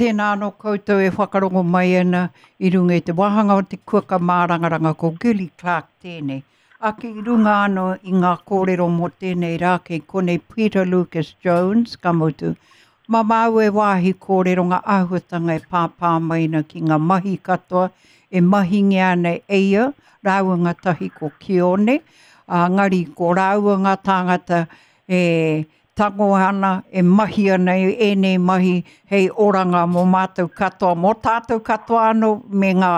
Tēnā anō koutou e whakarongo mai ana i runga i te wāhanga o te kuaka mārangaranga ko Gilly Clark tēnei. Ake i runga anō i ngā kōrero mō tēnei rā kei konei Peter Lucas Jones, ka mutu, mā māu e wāhi kōrero ngā āhuatanga e pāpā mai ana ki ngā mahi katoa e mahingia ana e ia rāua ngātahi ko Kione, ā, ngari ko rāua ngā tāngata e tango ana, e mahi ana i ēnei mahi hei oranga mō mātou katoa, mō tātou katoa anō me ngā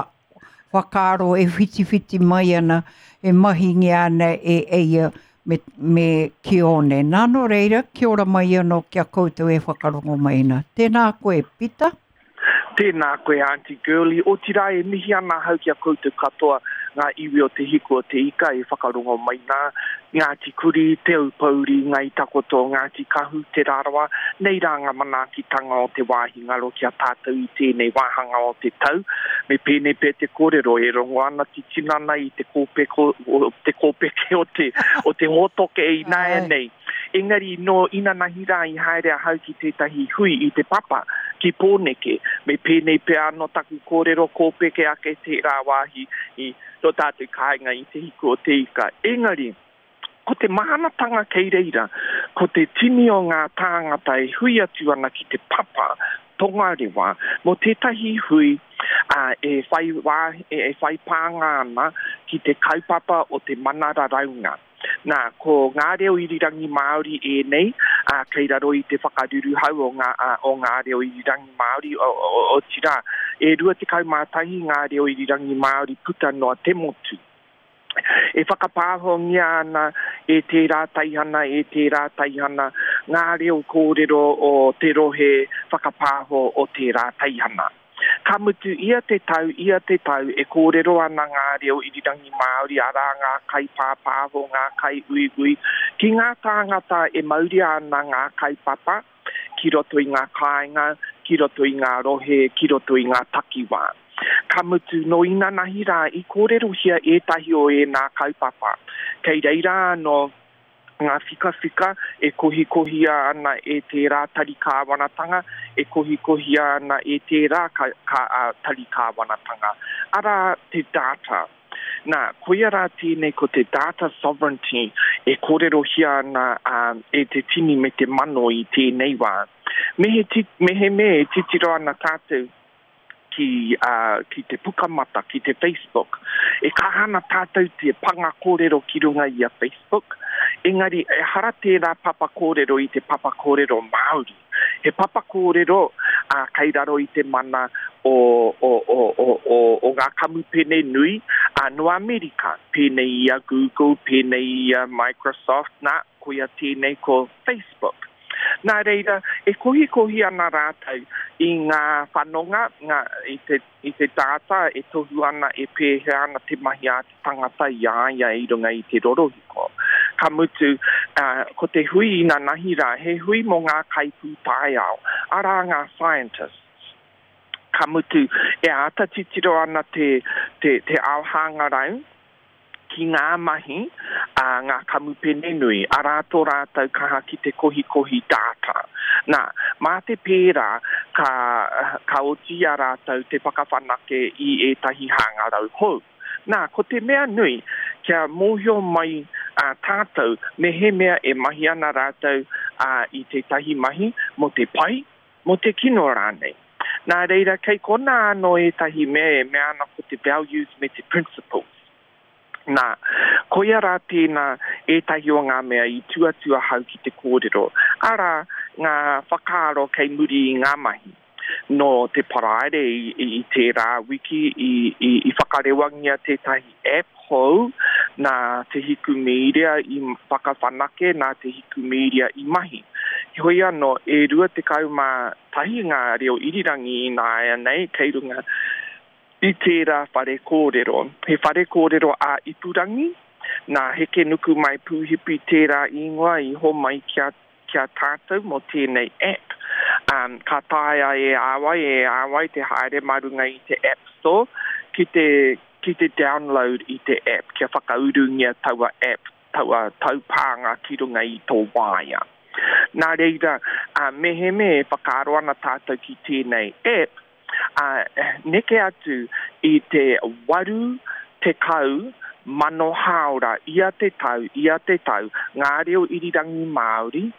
whakaaro e whitiwhiti mai ana, e mahingia ana e Eia me, me Kione. Nā, nō reira, kia ora mai anō ki a koutou e whakarongo mai ana. Tēnā koe, Pita. Tēnā koe Aunty Girlie, otirā e mihi ana ahau ki a koutou katoa, ngā iwi o Te Hiku o Te Ika e whakarongo mai nā, Ngāti Kuri, Te Aupōuri, Ngāi Takoto, Ngāti Kahu, Te Rarawa, nei rā ngā manaakitanga o te wāhi ngaro ki a tātou i tēnei wāhanga o te tau. Me pēnei pea te kōrero, e rongo ana te tinana i te kōpeko, te kōpeke o te, o te hōtoke ināianei. Engari nō inanahi rā i haere ahau ki tētahi hui i Te Papa, ki Pōneke. Me pēnei pea anō taku kōrero, kōpeke ake tērā wāhi i tō tātou kāinga i Te Hiku o Te Ika. Engari, ko te mahanatanga kei reira, ko te tini o ngā tāngata e hui atu ana ki Te Papa, Tongarewa, mō tētahi hui e whai wā, e whai pānga ana ki te kaupapa o te mana raraunga. Nā, ko ngā reo irirangi Māori ēnei, ā, kei raro i te whakaruruhau o ngā, ā, o ngā reo irirangi Māori, o, o, otirā, e 21 ngā reo irirangi Māori puta noa te motu. E whakapāhongia ana e tērā teihana, e tērā teihana, ngā reo kōrero o te rohe whakapāho o tērā teihana. Ka mutu, ia te tau, ia te tau, e kōrero ana ngā reo irirangi Māori, arā, ngā kaipāpāho, ngā kaiuiui, ki ngā tāngata e mauria ana ngā kaupapa ki roto i ngā kāinga, ki roto i ngā rohe, ki roto i ngā takiwā. Ka mutu, nō inanahi rā i kōrerohia ētahi o ēnā kaupapa. Kei reira anō ngā whikawhika e kohikohia ana e tērā tari kāwanatanga, e kohikohia ana e tērā ka, ka, a, tari kāwanatanga. Arā, te data. Nā, koia rā tēnei ko te data sovereignty e kōrerohia ana a, e te tini me te mano i tēnei wā. Me he, ti, me he mea e titiro ana tātou ki, uh, ki te pukamata, ki te Facebook. E kaha ana tātou te panga kōrero ki runga i a Facebook, engari ehara tērā papa kōrero i te papa kōrero Māori. He papa kōrero uh, kei raro i te mana o, o, o, o, o, o ngā kamupene nui uh, no Amerika, pēnei i a Google, pēnei i a Microsoft, nā, koia tēnei ko Facebook. Nā reira, e kohikohi ana rātou i ngā whanonga, ngā, i te, i te data e tohu ana e pēhea ana te mahi a te tangata i a ia i runga i te rorohiko. Ka mutu, ā, ko te hui inanahi rā, he hui mō ngā kaipūtaiao, arā ngā scientists. Ka mutu, e āta titiro ana te, te, te ao hangarau, ki ngā mahi a ngā kamupene nui, arā tō rātou kaha ki te kohikohi data. Nā, mā te pērā ka, ka oti i a rātou te whakawhanake i ētahi hangarau hou. Nā, ko te mea nui, kia mōhio mai a tātou mehemea e mahi ana rātou i tētahi mahi mō te pai, mō te kino rānei. Nā reira, kei konā anō ētahi mea e mea ana ko te values me te principles. Nā, koia rā tēnā ētahi o ngā mea i tū atu ahau ki te kōrero, arā, ngā whakaaro kei muri i ngā mahi. Nō te Paraire i, i tērā wiki i, i, i whakarewangia tētahi app hou nā Te Hiku Mīria i whakawhanake, nā Te Hiku Mīria i mahi. Heoi anō, e 21 ngā reo irirangi ināianei kei runga i tērā whare kōrero. He whare kōrero ā-ipurangi, nā Hekenukumai Pūhipi tērā īngoa i homai ki a, ki a tātou mō tēnei app. Um, ka taea e a wai, e a wai te haere mā runga i te App Store ki te, ki te download i te app, kia whakaurungia taua app, taua taupānga ki runga i tō waea. Nā reira, mehemea e whakaaro ana tātou ki tēnei app, neke atu i te 80,000 hāora ia te tau, ia te tau, ngā reo irirangi Māori e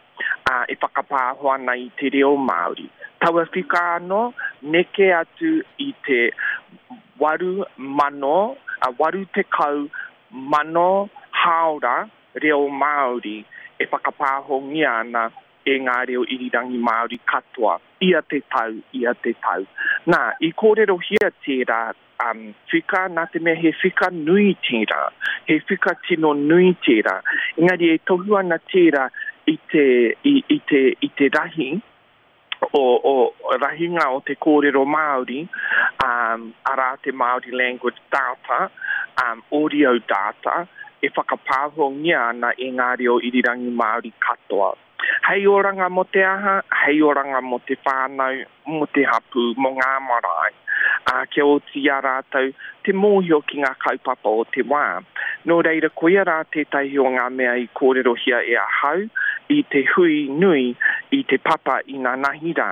whakapāho ana i te reo Māori. Taua whika anō, neke atu i te 8,000, 80,000 hāora reo Māori e whakapāhongia ana e ngā reo irirangi Māori katoa, ia te tau, ia te tau. Nā, i kōrerohia tērā um, whika, nā te mea he whika nui tērā, he whika tino nui tērā. Engari e tohu ana tērā i te, i, i te, i te rahi, o, o rahinga o te kōrero Māori, um, arā te Māori Language Data, um, audio data, e whakapāhongia ana e ngā reo irirangi Māori katoa. Hei oranga mō te aha, hei oranga mō te whānau, mō te hapū, mō ngā marae, ā, kia oti i a rātou te mōhio ki ngā kaupapa o te wā. Nō reira, koia rā tētahi o ngā mea i kōrerohia e ahau i te hui nui i Te Papa inanahi rā.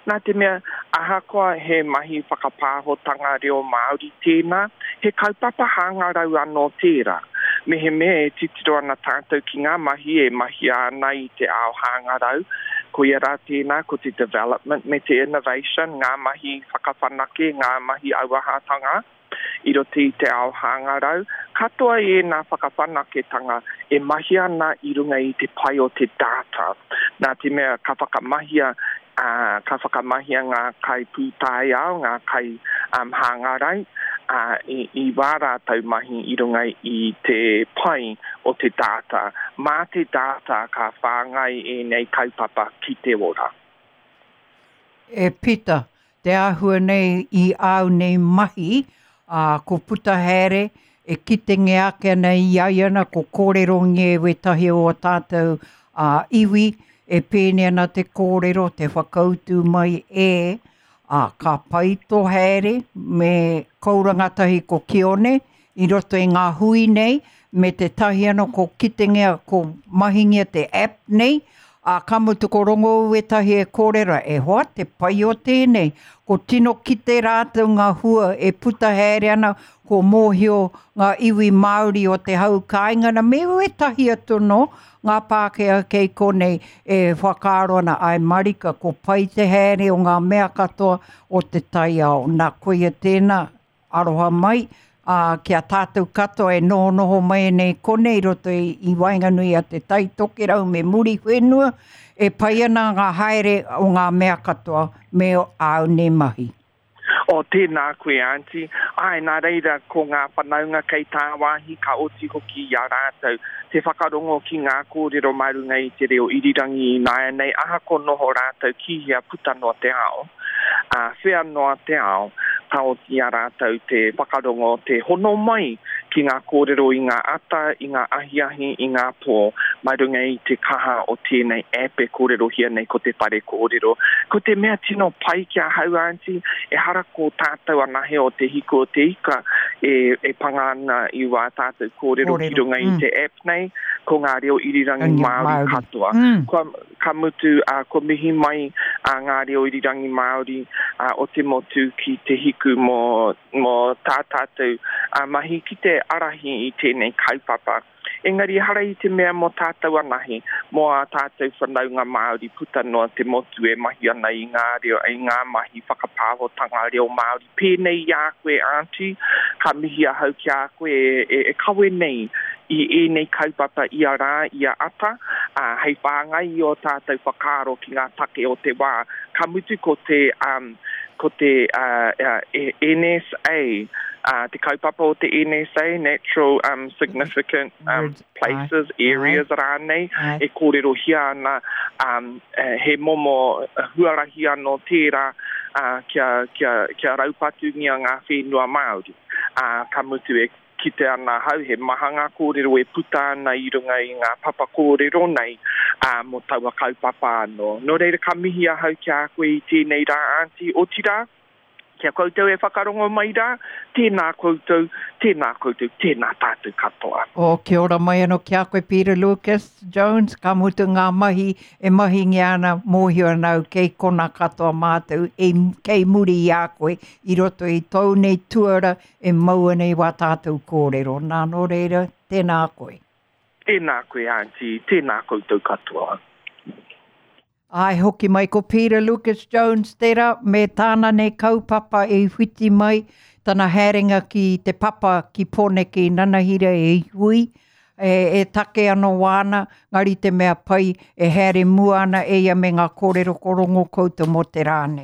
Nā te mea, ahakoa he mahi whakapāhotanga reo Māori tēnā, he kaupapa hangarau anō tērā. Mehemea e titiro ana tātou ki ngā mahi e mahia ana i te ao hangarau, koia rā tēnā ko te development me te innovation, ngā mahi whakawhanake, ngā mahi auahatanga i roto i te ao hangarau, katoa ēnā whakawhanaketanga e mahia ana i runga i te pai o te data. Nā te mea ka whakamahia, ā, ka whakamahia ngā kaipūtaiao, ngā kai hangarau, ā, i, i wā rātou mahi i runga i te pai o te data. Mā te data ka whāngai ēnei kaupapa ki te ora. E Pita, te āhua nei i āu nei mahi, ā, ko puta haere, e kitengia ake ana i a ia ana, ko kōrerongia e wētahi o ō tātou ā, iwi, e pēnei ana te kōrero, te whakautu mai e, ā, ka pai tō haere me Kaurangatahi ko Kione i roto i ngā hui nei, me tētahi anō ko kitengia, ko mahingia te app nei, ā, ka mutu ko rongo au ētahi e kōrero, e hoa, te pai o tēnei, ko tino kite rātou ngā hua e puta haere ana, ko mōhio ngā iwi Māori o te hau kāinga na, me wētahi atu anō, ngā Pākehā kei konei e whakaaro ana, āe marika, ko pai te haere o ngā mea katoa o te taiao, nā koia tēnā, Aroha mai, ā, ki a tātou katoa e nohonoho mai nei konei i roto i, i waenganui a Te Tai Tokerau me Muriwhenua, e pai ana ngā haere o ngā mea katoa me āu nei mahi. Oh, tēnā koe, Aunty. Āe, nā reira, ko ngā whanaunga kei tāwāhi ka oti hoki i a rātou te whakarongo ki ngā kōrero mā runga i te reo irirangi ināianei, ahakoa noho rātou ki hea puta noa te ao. Ā, whea noa te ao, ka oti i a rātou te whakarongo, te hono mai ki ngā kōrero i ngā ata, i ngā ahiahi, i ngā pō, mai runga i te kaha o tēnei app e kōrerohia nei ko Te Whare Kōrero. Ko te mea tino pai ki ahau, Aunty, ehara ko tātou anahe o Te Hiku o Te Ika e, e panga ana i wā tātou kōrero ki runga i te app nei, ko ngā reo irirangi Māori katoa. Kua, Ka mutu, ā, kua mihi mai a Ngā Reo Irirangi Māori o te motu ki Te Hiku mō, mō tā tātou mahi ki te ārahi i tēnei kaupapa. Engari ehara i te mea mō tātou anahe, mō ā tātou whanaunga Māori puta noa te motu e mahi ana i ngā reo, i ngā mahi whakapāhotanga reo Māori pēnei i a koe Aunty, ka mihi ahau ki a koe e, e kawe nei i ēnei kaupapa ia rā, ia ata, ā, hei whāngai i ō tātou whakaaro ki ngā take o te wā. Ka mutu ko te, um, ko te uh, uh, NSA, uh, te kaupapa o te NSA, Natural um, Significant um, Places, Areas rānei, e kōrerohia ana um, he momo huarahi anō tērā uh, kia, kia, kia raupatungia ngā whenua Māori. Uh, ka mutu e kite ana ahau he maha ngā kōrero e puta ana i runga i ngā papa kōrero nei ā, mō taua kaupapa anō. Nō reira ka mihi ahau ki a koe i tēnei rā, Aunty, otirā, Kia koutou e whakarongo mai rā, tēnā koutou, tēnā koutou, tēnā tātou katoa. Oh, kia ora mai anō ki a koe Peter Lucas Jones, ka mutu ngā mahi e mahingia ana, mōhio ana au kei kona katoa mātou e, kei muri i a koe i roto i tōu nei tuara e mau ana i wā tātou kōrero. Nā, nō reira, tēnā koe. Tēnā koe Aunty, tēnā koutou katoa. Āe hoki mai ko Peter Lucas Jones tērā me tāna nei kaupapa i whiti mai tana haerenga ki te papa ki Pōneke i Nanahira e hui, e, e take anō wāna, ngari te mea pai e haere mua ana e ia me ngā kōrero ko rongo koutou mō te rā nei.